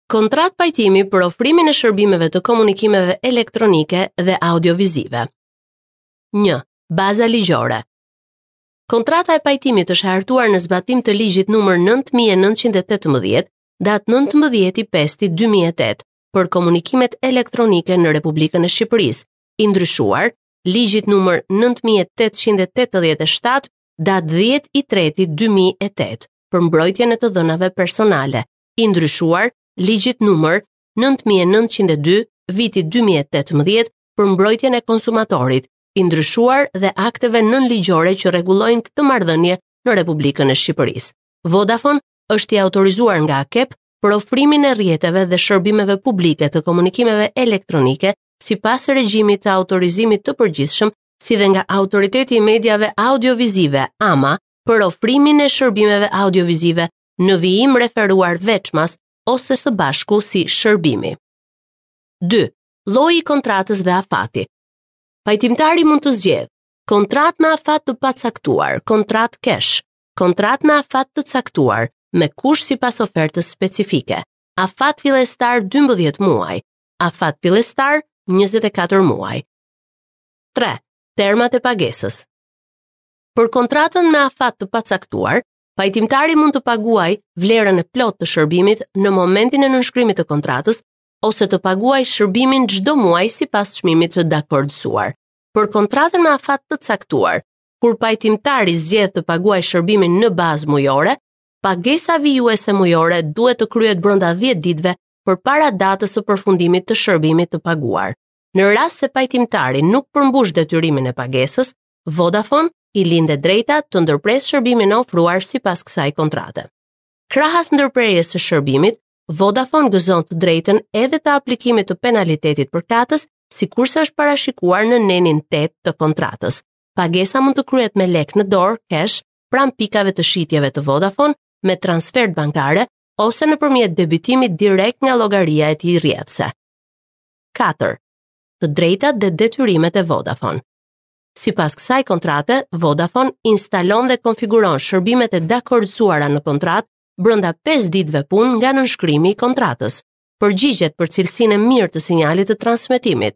Kontratë pajtimi për ofrimin e shërbimeve të komunikimeve elektronike dhe audiovizive. 1. Baza ligjore. Kontrata e pajtimit është hartuar në zbatim të ligjit numër 9918, datë 19.5.2008, për komunikimet elektronike në Republikën e Shqipërisë, i ndryshuar, ligjit numër 9887, datë 10.3.2008, për mbrojtjen e të dhënave personale, i ndryshuar ligjit numër 9902 vitit 2018 për mbrojtjen e konsumatorit, i ndryshuar dhe akteve nënligjore që rregullojnë këtë marrëdhënie në Republikën e Shqipërisë. Vodafone është i autorizuar nga AKEP për ofrimin e rrjeteve dhe shërbimeve publike të komunikimeve elektronike sipas regjimit të autorizimit të përgjithshëm, si dhe nga Autoriteti i Mediave Audiovizive, AMA, për ofrimin e shërbimeve audiovizive në vijim referuar veçmas ose së bashku si shërbimi. 2. Lloji i kontratës dhe afati. Pajtimtari mund të zgjedhë kontratë me afat të pacaktuar, kontratë cash, kontratë me afat të caktuar, me kusht sipas ofertës specifike, afat fillestar 12 muaj, afat fillestar 24 muaj. 3. Termat e pagesës. Për kontratën me afat të pacaktuar, Pajtimtari mund të paguajë vlerën e plotë të shërbimit në momentin e nënshkrimit të kontratës ose të paguajë shërbimin çdo muaj sipas çmimit të dakordësuar. Për kontratën me afat të caktuar, kur pajtimtari zgjedh të paguajë shërbimin në bazë mujore, pagesa vijuese mujore duhet të kryhet brenda 10 ditëve përpara datës së përfundimit të shërbimit të paguar. Në rast se pajtimtari nuk përmbush detyrimin e pagesës, Vodafone i lind e drejta të ndërpresë shërbimin e ofruar sipas kësaj kontrate. Krahas ndërprerjes së shërbimit, Vodafone gëzon të drejtën edhe të aplikimit të penalitetit përkatës, sikurse është parashikuar në nenin 8 të kontratës. Pagesa mund të kryhet me lek në dorë, cash, pranë pikave të shitjeve të Vodafone, me transfertë bankare ose nëpërmjet debitimit direkt nga llogaria e tij rrjedhëse. 4. Të drejtat dhe detyrimet e Vodafone. Sipas kësaj kontrate, Vodafone instalon dhe konfiguron shërbimet e dakordësuara në kontratë brenda 5 ditëve punë nga nënshkrimi i kontratës. Përgjigjet për cilësinë e mirë të sinjalit të transmetimit.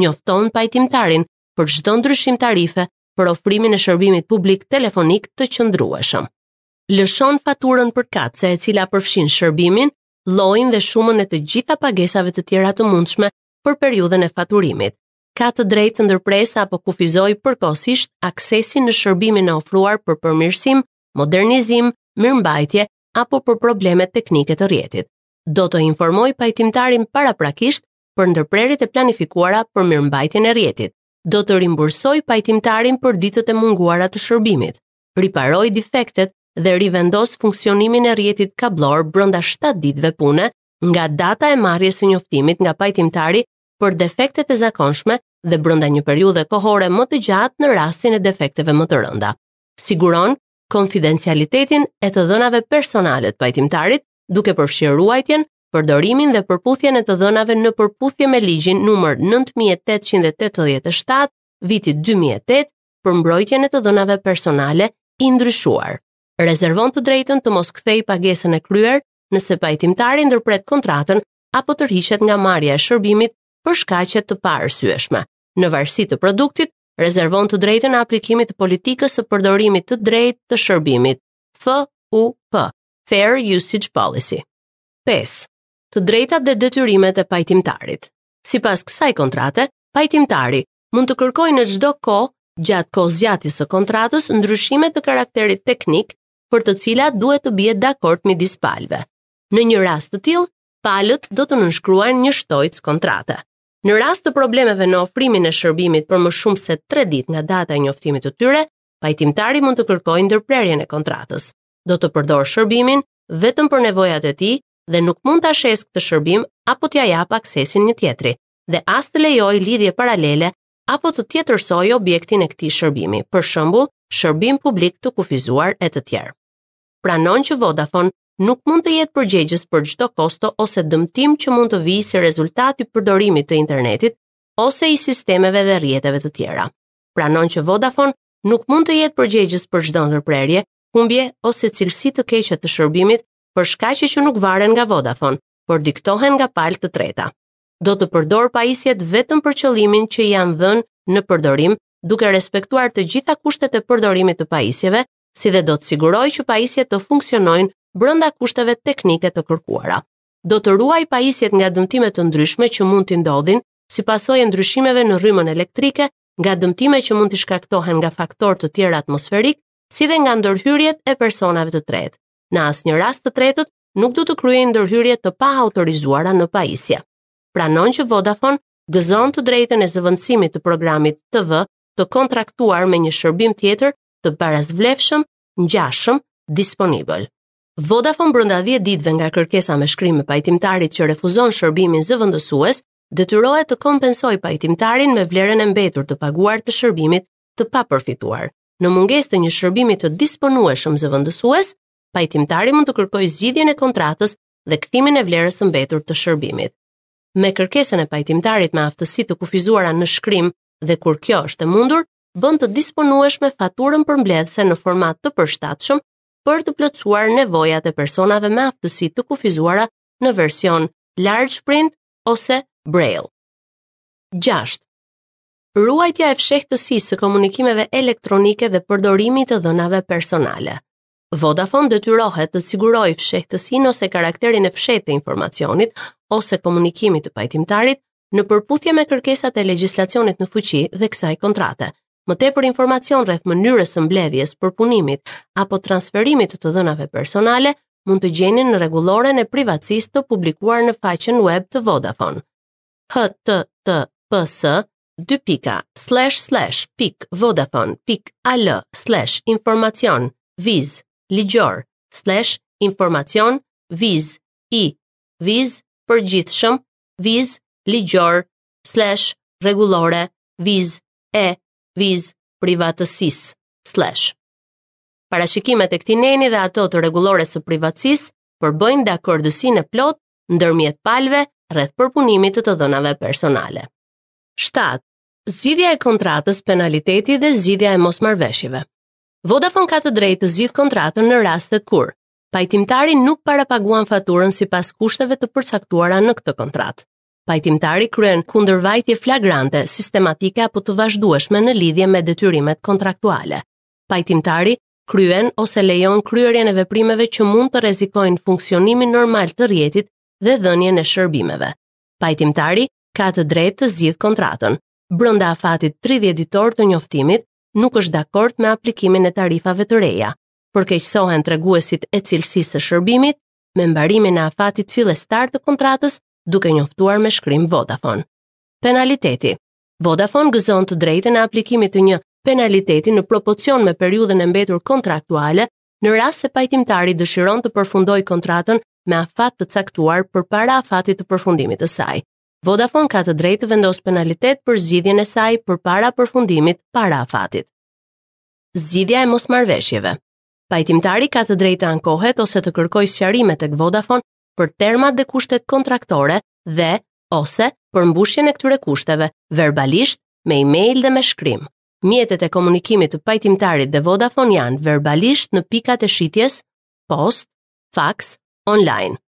Njofton pajtimtarin për çdo ndryshim tarife për ofrimin e shërbimit publik telefonik të qëndrueshëm. Lëshon faturën përkatëse e cila përfshin shërbimin, llojin dhe shumën e të gjitha pagesave të tjera të mundshme për periudhën e faturimit. Ka të drejtë të ndërpresë apo kufizojë përkohësisht aksesin në shërbimin e ofruar për përmirësim, modernizim, mirëmbajtje apo për probleme teknike të rrjetit. Do të informojë pajtimtarin paraprakisht për ndërprerjet e planifikuara për mirëmbajtjen e rrjetit. Do të rimbursojë pajtimtarin për ditët e munguara të shërbimit. Riparojë defektet dhe rivendosë funksionimin e rrjetit kabllor brenda 7 ditëve pune nga data e marrjes së njoftimit nga pajtimtari për defektet e zakonshme dhe brenda një periudhe kohore më të gjatë në rastin e defekteve më të rënda. Siguron konfidencialitetin e të dhënave personale të pajtimtarit, duke përfshirë ruajtjen, përdorimin dhe përputhjen e të dhënave në përputhje me ligjin numër 9887 vitit 2008 për mbrojtjen e të dhënave personale i ndryshuar. Rezervon të drejtën të mos kthejë pagesën e kryer nëse pajtimtari ndërpret kontratën apo tërhiqet nga marrja e shërbimit për shkaqe të paarsyeshme. Në varësi të produktit, rezervon të drejtën e aplikimit të politikës së përdorimit të drejtë të shërbimit, FUP, Fair Usage Policy. 5. Të drejtat dhe detyrimet e pajtimtarit. Sipas kësaj kontrate, pajtimtari mund të kërkojë në çdo kohë gjatë kohëzgjatjes së kontratës ndryshime të karakterit teknik për të cilat duhet të bihet dakord midis palëve. Në një rast të tillë, palët do të nënshkruajnë një shtojcë kontrate. Në rast të problemeve në ofrimin e shërbimit për më shumë se 3 ditë nga data e njoftimit të tyre, pajtimtari mund të kërkojë ndërprerjen e kontratës. Do të përdorë shërbimin vetëm për nevojat e tij dhe nuk mund ta shesë këtë shërbim apo t'ia japë aksesin një tjetri dhe as të lejojë lidhje paralele apo të tjetërsojë objektin e këtij shërbimi, për shembull, shërbim publik të kufizuar e të tjerë. Pranon që Vodafone nuk mund të jetë përgjegjës për çdo kosto ose dëmtim që mund të vijë si rezultat i përdorimit të internetit ose i sistemeve dhe rrjeteve të tjera. Pranon që Vodafone nuk mund të jetë përgjegjës për çdo ndërprerje, humbje ose cilësi të keqe të shërbimit për shkaqe që nuk varen nga Vodafone. por diktohen nga palë të treta. Do të përdorë pajisjet vetëm për qëllimin që i janë dhënë në përdorim, duke respektuar të gjitha kushtet e përdorimit të pajisjeve, si dhe do të sigurojë që pajisjet të funksionojnë brenda kushteve teknike të kërkuara. Do të ruajë pajisjet nga dëmtime të ndryshme që mund t'i ndodhin si pasojë e ndryshimeve në rrymën elektrike, nga dëmtime që mund t'i shkaktohen nga faktorë të tjerë atmosferikë, si dhe nga ndërhyrjet e personave të tretë. Në asnjë rast të tretët nuk do të kryejnë ndërhyrje të paautorizuara në pajisje. Pranon që Vodafone gëzon të drejtën e zëvendësimit të programit TV të kontraktuar me një shërbim tjetër të barasvlefshëm, ngjashëm, disponibël. Vodafone brenda 10 ditëve nga kërkesa me shkrim e pajtimtarit që refuzon shërbimin zëvendësues, detyrohet të kompensojë pajtimtarin me vlerën e mbetur të paguar të shërbimit të papërfituar. Në mungesë të një shërbimi të disponueshëm zëvendësues, pajtimtari mund të kërkojë zgjidhjen e kontratës dhe kthimin e vlerës së mbetur të shërbimit. Me kërkesën e pajtimtarit me aftësi të kufizuara në shkrim dhe kur kjo është e mundur, bën të disponueshme faturën përmbledhëse në format të përshtatshëm për të plotësuar nevojat e personave me aftësi të kufizuara në version large print ose braille. 6. Ruajtja e fshehtësisë së komunikimeve elektronike dhe përdorimi i të dhënave personale. Vodafone detyrohet të sigurojë fshehtësinë ose karakterin e fshehtë të informacionit ose komunikimit të pajtimtarit në përputhje me kërkesat e legjislacionit në fuqi dhe kësaj kontrate. Më tepër informacion rreth mënyrës së mbledhjes, përpunimit apo transferimit të të dhënave personale mund të gjeni në rregulloren e privatësisë të publikuar në faqen web të Vodafone. https 2 pika slash slash pik vodafone pik al slash informacion viz ligjor slash informacion viz i viz përgjithshëm viz ligjor slash rregullore viz e viz privatësisë slash Parashikimet e këtij neni dhe ato të rregullores së privatësisë përbëjnë dakordësinë e plotë ndërmjet palëve rreth përpunimit të të dhënave personale. 7. Zgjidhja e kontratës, penaliteti dhe zgjidhja e mosmarrëveshjeve. Vodafone ka të drejtë të zgjidhë kontratën në rastet kur pajtimtari nuk parapaguan faturën sipas kushteve të përcaktuara në këtë kontratë. Pajtimtari kryen kundërvajtje flagrante, sistematike apo të vazhdueshme në lidhje me detyrimet kontraktuale. Pajtimtari kryen ose lejon kryerjen e veprimeve që mund të rrezikojnë funksionimin normal të rrjetit dhe dhënien e shërbimeve. Pajtimtari ka të drejtë të zgjidhë kontratën. Brenda afatit 30 ditor të njoftimit, nuk është dakord me aplikimin e tarifave të reja. Përkeqësohen treguesit e cilësisë së shërbimit me mbarimin e afatit fillestar të kontratës duke njoftuar me shkrim Vodafone. Penaliteti Vodafone gëzon të drejtën e aplikimit të një penaliteti në proporcion me periudhën e mbetur kontraktuale në rast se pajtimtari dëshiron të përfundojë kontratën me afat të caktuar përpara afatit të përfundimit të saj. Vodafone ka të drejtë të vendosë penalitet për zgjidhjen e saj përpara përfundimit para afatit. Zgjidhja e mosmarrëveshjeve. Pajtimtari ka të drejtë të ankohet ose të kërkojë sqarime tek Vodafone për termat dhe kushtet kontraktore dhe ose përmbushjen e këtyre kushteve verbalisht, me email dhe me shkrim. Mjetet e komunikimit të pajtimtarit dhe Vodafone janë verbalisht në pikat e shitjes, post, fax, online.